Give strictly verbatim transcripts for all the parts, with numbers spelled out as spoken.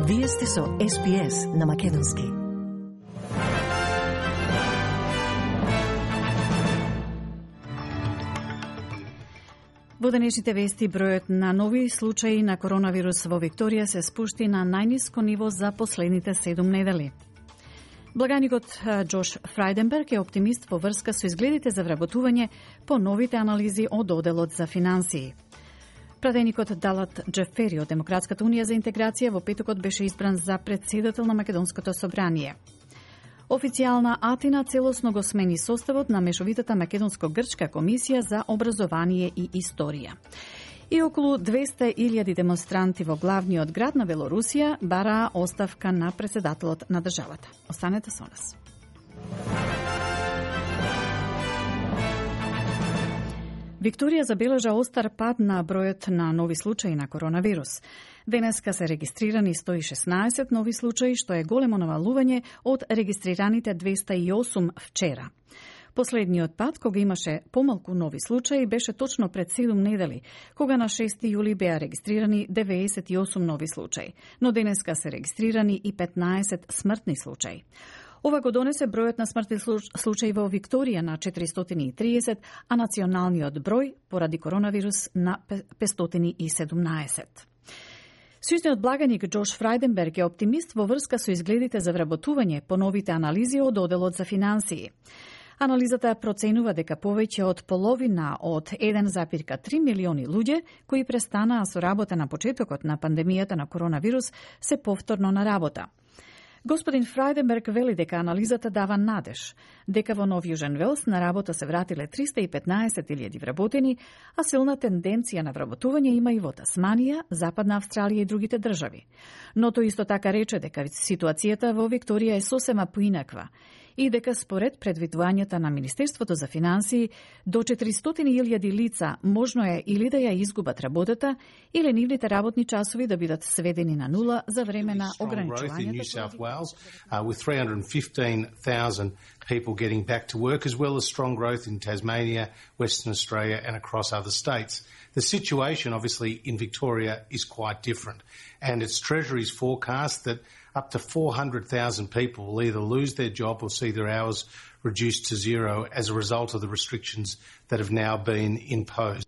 Вие сте со Ес Би Ес на Македонски. Во денешните вести, бројот на нови случаи на коронавирус во Викторија се спушти на најниско ниво за последните седум недели. Благаникот Џош Фрајденберг е оптимист во врска со изгледите за вработување по новите анализи од Оделот за финансии. Пратеникот Далат Џефери од Демократската унија за интеграција во петокот беше избран за претседател на Македонското собрание. Официјална Атина целосно го смени составот на мешовитата Македонско-грчка комисија за образование и историја. И околу двесте илјади демонстранти во главниот град на Белорусија бараа оставка на претседателот на државата. Останете со нас. Викторија забележа остар пад на бројот на нови случаи на коронавирус. Денеска се регистрирани сто и шеснаесет нови случаи, што е големо намалување од регистрираните двесте и осум вчера. Последниот пат, кога имаше помалку нови случаи, беше точно пред седум недели, кога на шести јули беа регистрирани деветдесет и осум нови случаи, но денеска се регистрирани и петнаесет смртни случаи. Ова го донесе бројот на смртни случаи во Викторија на четиристотини и триесет, а националниот број поради коронавирус на петстотини и седумнаесет. Сојузниот благаник Џош Фрајденберг е оптимист во врска со изгледите за вработување по новите анализи од Оделот за финансии. Анализата проценува дека повеќе од половина од еден зарез три милиони луѓе кои престанаа со работа на почетокот на пандемијата на коронавирус се повторно на работа. Господин Фрајденберг вели дека анализата дава надеж, дека во Нов Јужен Велс на работа се вратиле триста и петнаесет илјади вработени, а силна тенденција на вработување има и во Тасманија, Западна Австралија и другите држави. Но тој исто така рече дека ситуацијата во Викторија е сосема поинаква и дека според предвидувањата на Министерството за финансии до четиристотини илјади лица можно е или да ја изгубат работата или нивните работни часови да бидат сведени на нула за време на ограничувањето. Uh, with three hundred fifteen thousand people getting back to work, as well as strong growth in Tasmania, Western Australia and across other states. The situation, obviously, in Victoria is quite different, and its Treasury's forecast that up to four hundred thousand people will either lose their job or see their hours reduced to zero as a result of the restrictions that have now been imposed.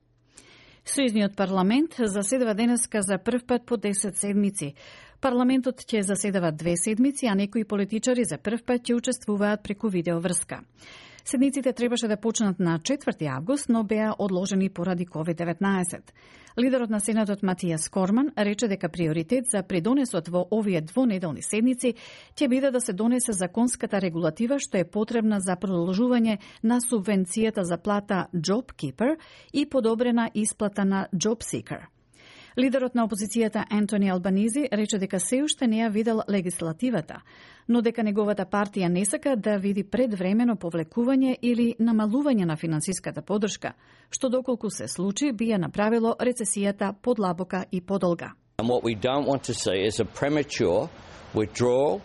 Сојузниот парламент заседава денеска за прв пат по десет седмици. Парламентот ќе заседава две седмици, а некои политичари за прв пат ќе учествуваат преку видеоврска. Седниците требаше да почнат на четврти август, но беа одложени поради ковид деветнаесет. Лидерот на Сенатот Матијас Корман рече дека приоритет за придонесот во овие двонеделни седници ќе биде да се донесе законската регулатива што е потребна за продолжување на субвенцијата за плата JobKeeper и подобрена исплата на JobSeeker. Лидерот на опозицијата Ентони Албанизи рече дека се уште не ја видел легислативата, но дека неговата партија не сака да види предвремено повлекување или намалување на финансиската подршка, што доколку се случи би ја направило рецесијата подлабока и подолга. And what we don't want to see is a premature withdrawal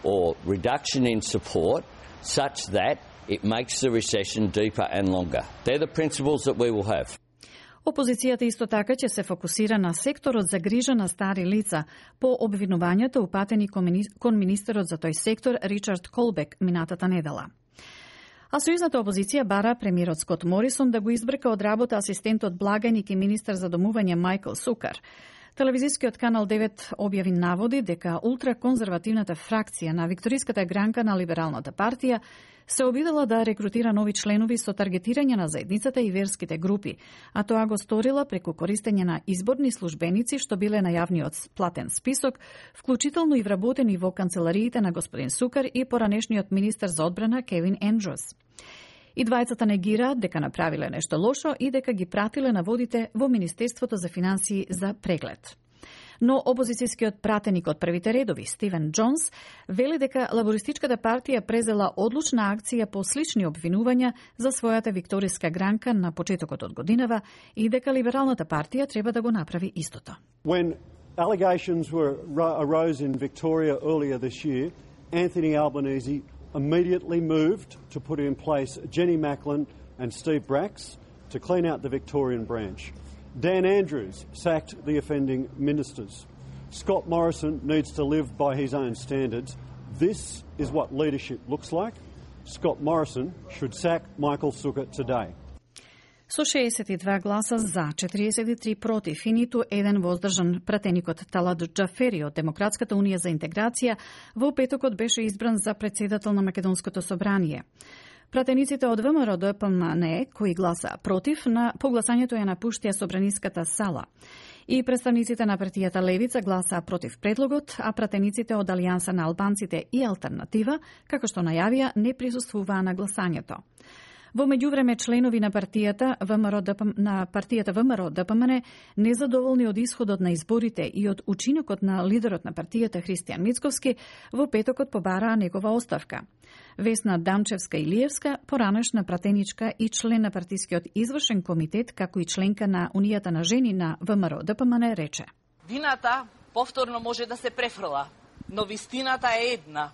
or reduction in support such that it makes the recession deeper and longer. They're the principles that we will have. Опозицијата исто така ќе се фокусира на секторот за грижа на стари лица по обвинувањата упатени кон министерот за тој сектор Ричард Колбек минатата недела. А сојузната опозиција бара премиерот Скот Морисон да го избрка од работа асистентот благаник и министер за домување Мајкл Сукар. Телевизискиот канал девет објави наводи дека ултраконзервативната фракција на викториската гранка на Либералната партија се обидела да рекрутира нови членови со таргетирање на заедницата и верските групи, а тоа го сторила преку користење на изборни службеници што биле на јавниот платен список, вклучително и вработени во канцелариите на господин Сукар и поранешниот министер за одбрана Кевин Ендрус. И двајцата негираат дека направиле нешто лошо и дека ги пратиле наводите во Министерството за финансии за преглед. Но опозицијскиот пратеник од првите редови, Стивен Џонс, вели дека лабористичката партија презела одлучна акција по слични обвинувања за својата викториска гранка на почетокот од годинава и дека Либералната партија треба да го направи истото. When allegations were arose in Victoria earlier this year, Anthony Albanese immediately moved to put in place Jenny Macklin and Steve Bracks to clean out the Victorian branch. Dan Andrews sacked the offending ministers. Scott Morrison needs to live by his own standards. This is what leadership looks like. Scott Morrison should sack Michael Sukkot today. Со шеесет и два гласа за, четириесет и три против и ниту еден воздржан, пратеникот Талат Џафери од Демократската унија за интеграција во петокот беше избран за председател на Македонското собрание. Пратениците од ВМРО Д П М Н, кои гласа против, на погласањето ја напуштија собраниската сала. И представниците на партијата Левица гласаа против предлогот, а пратениците од Алијанса на албанците и Алтернатива, како што најавија, не присуствуваа на гласањето. Во меѓувреме, членови на партијата ВМРО Д П М, на партијата ВМРО Д П М Н, незадоволни од исходот на изборите и од учинокот на лидерот на партијата Христијан Мицковски, во петокот побараа негова оставка. Весна Дамчевска-Илиевска, поранешна пратеничка и член на партискиот извршен комитет, како и членка на Унијата на жени на ВМРО Д П М Н, рече: Вината повторно може да се префрла, но вистината е една.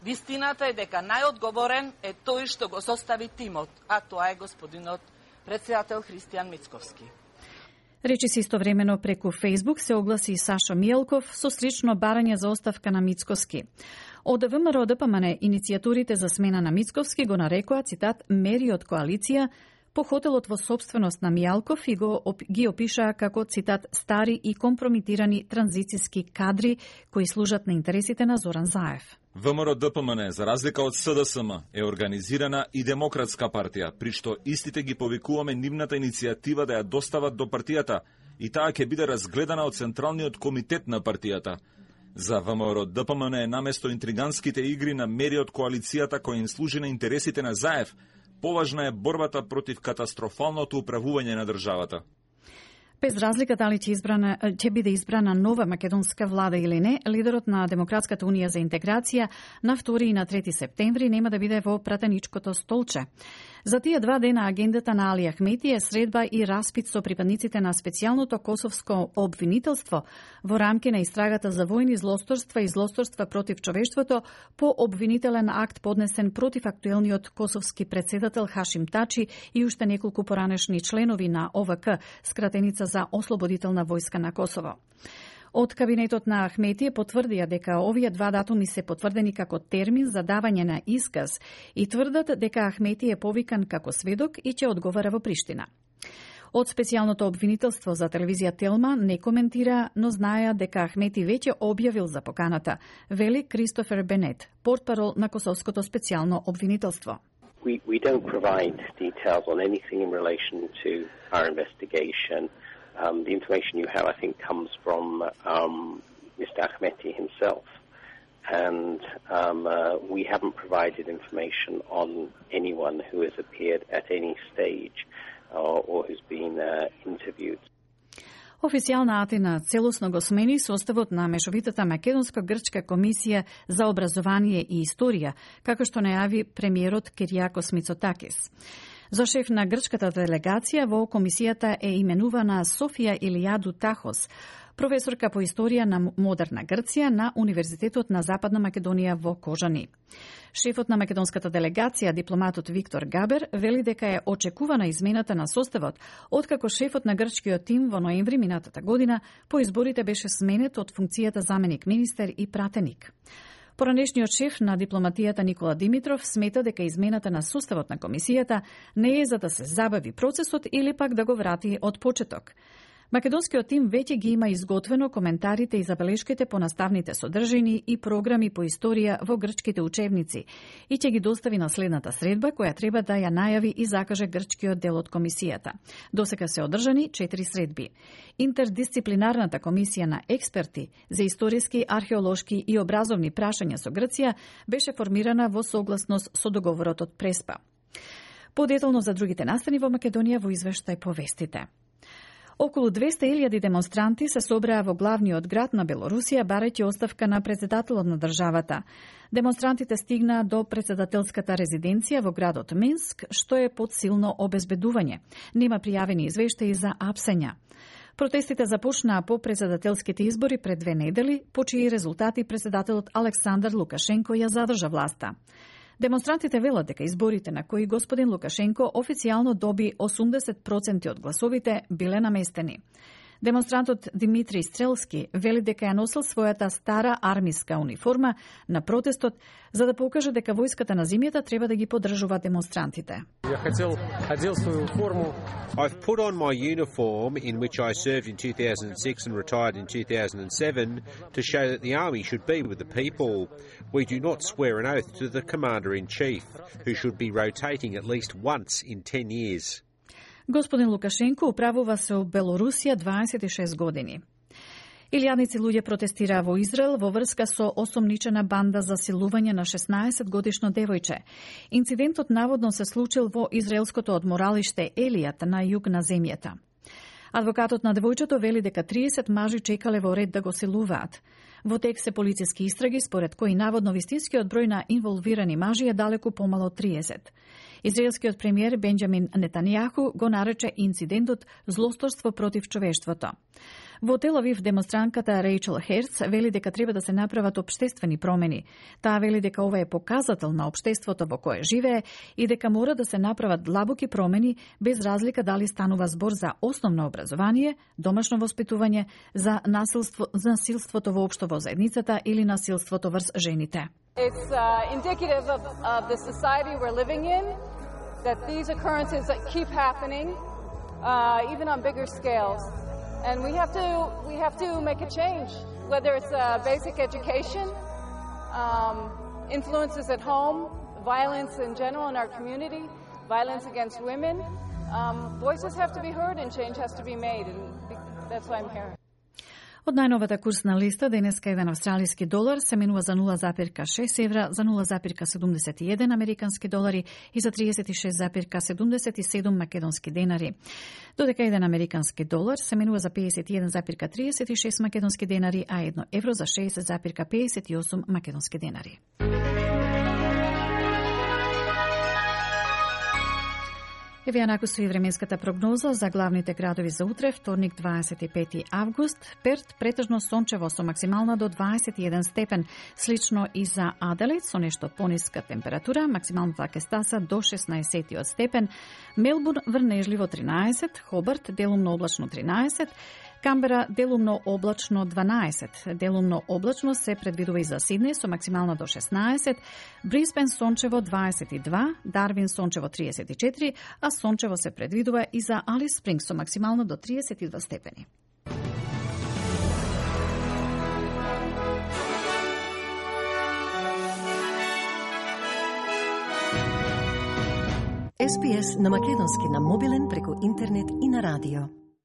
Вистината е дека најодговорен е тој што го состави тимот, а тоа е господинот председател Христијан Мицковски. Речи се истовремено преку Фејсбук се огласи и Сашо Мијалков со стрично барање за оставка на Мицковски. Од ВМРО Д П М Н иницијатурите за смена на Мицковски го нарекоа, цитат, мери од коалиција, по хотелот во собственост на Мијалков и го ги опишаа како, цитат, стари и компрометирани транзициски кадри кои служат на интересите на Зоран Заев. ВМРО Д П М Н, за разлика од С Д С М, е организирана и демократска партија, при што истите ги повикуваме нивната иницијатива да ја достават до партијата и таа ќе биде разгледана од Централниот комитет на партијата. За ВМРО Д П М Н е наместо интриганските игри на мери од коалицијата кои им служи на интересите на Заев, поважна е борбата против катастрофалното управување на државата. Без разлика дали ќе, избрана, ќе биде избрана нова македонска влада или не, лидерот на Демократската унија за интеграција на втори и на трети септември нема да биде во пратеничкото столче. За тие два дена агендата на Али Ахмети е средба и распит со припадниците на специјалното косовско обвинителство во рамки на истрагата за војни злосторства и злосторства против човештвото по обвинителен акт поднесен против актуелниот косовски председател Хашим Тачи и уште неколку поранешни членови на О В К, скратеница за Ослободителна војска на Косово. Од кабинетот на Ахметије потврдија дека овие два датуми се потврдени како термин за давање на исказ и тврдат дека Ахметије е повикан како сведок и ќе одговара во Приштина. Од специјалното обвинителство за телевизија Телма не коментира, но знаеа дека Ахмети веќе објавил за поканата, вели Кристофер Бенет, портпарол на Косовското специјално обвинителство. We, we don't provide details on anything in relation to our investigation. Um, the information you have, I think, comes from um, Mister Ahmeti himself. And um, uh, we haven't provided information on anyone who has appeared at any stage uh, or who's been uh, interviewed. Официјална Атина целосно го смени составот на Мешовитата македонско-грчка комисија за образование и историја, како што најави премиерот Киријакос Мицотакис. За шеф на грчката делегација во комисијата е именувана Софија Илијаду Тахос, професорка по историја на модерна Грција на Универзитетот на Западна Македонија во Кожани. Шефот на македонската делегација, дипломатот Виктор Габер, вели дека е очекувана измената на составот, откако шефот на грчкиот тим во ноември минатата година по изборите беше сменет од функцијата заменик министер и пратеник. Поранешниот шеф на дипломатијата Никола Димитров смета дека измената на составот на комисијата не е за да се забави процесот или пак да го врати од почеток. Македонскиот тим веќе ги има изготвено коментарите и забелешките по наставните содржини и програми по историја во грчките учебници и ќе ги достави на следната средба која треба да ја најави и закаже грчкиот дел од комисијата. Досега се одржани четири средби. Интердисциплинарната комисија на експерти за историски, археолошки и образовни прашања со Грција беше формирана во согласност со договорот од Преспа. Подетално за другите настани во Македонија во извештај по вестите. Околу двесте илјади демонстранти се собраа во главниот град на Белорусија барајќи оставка на председателот на државата. Демонстрантите стигнаа до председателската резиденција во градот Минск, што е под силно обезбедување. Нема пријавени извештаи за апсења. Протестите започнаа по председателските избори пред две недели, по чии резултати председателот Александар Лукашенко ја задржа власта. Демонстрантите велат дека изборите на кои господин Лукашенко официјално доби осумдесет проценти од гласовите биле наместени. Демонстрантот Димитри Стрелски вели дека ја носил својата стара армиска униформа на протестот за да покаже дека војската на земјата треба да ги поддржува демонстрантите. Ја хотел одел своју форму. I've put on my uniform in which I served in two thousand six and retired in two thousand seven to show that the army should be with the people. We do not swear an oath to the commander-in-chief, who should be rotating at least once in ten years. Господин Лукашенко управува се у Белорусија дваесет и шест години. Илјадници луѓе протестираа во Израел во врска со осомничена банда за силување на шеснаесет годишно девојче. Инцидентот наводно се случил во израелското одморалиште Елијат на југ на земјата. Адвокатот на девојчето вели дека триесет мажи чекале во ред да го силуваат. Во тек се полициски истраги, според кои наводно вистинскиот број на инволвирани мажи е далеку помало од триесет. Израелскиот премиер Бенџамин Нетанијаху го нарече инцидентот злосторство против човештвото. Во Тел Авив демонстрантката Рейчел Херц вели дека треба да се направат општествени промени. Таа вели дека ова е показател на општеството во кое живее и дека мора да се направат длабоки промени без разлика дали станува збор за основно образование, домашно воспитување, за насилство, за насилството воопшто во заедницата или насилството врз жените. It's uh, indicative of, of the society we're living in, that these occurrences keep happening, uh, even on bigger scales. And we have to we have to make a change, whether it's uh, basic education, um, influences at home, violence in general in our community, violence against women. Um, voices have to be heard and change has to be made, and that's why I'm here. Од најновата курсна листа, денеска еден австралиски долар се менува за нула запирка шест евра, за нула запирка седумдесет и еден американски долари и за триесет и шест запирка седумдесет и седум македонски денари. Додека еден американски долар се менува за пеесет и еден запирка триесет и шест македонски денари, а едно евро за шеесет запирка пеесет и осум македонски денари. Еве ја накусува и временската прогноза за главните градови за утре, вторник дваесет и пети август. Перт претежно сончево со максимална до дваесет и еден степен, слично и за Аделаид со нешто пониска температура, максималната ќе стаса до шеснаесет степен. Мелбурн врнежливо тринаесет, Хобарт делумно облачно тринаесет, Камбера делумно облачно дванаесет, делумно облачно се предвидува и за Сиднеј со максимална до шеснаесет, Брисбен сончево дваесет и два, Дарвин сончево триесет и четири, а сончево се предвидува и за Алис Спрингс со максимално до триесет и два степени. Ес Би Ес на македонски на мобилен преку интернет и на радио.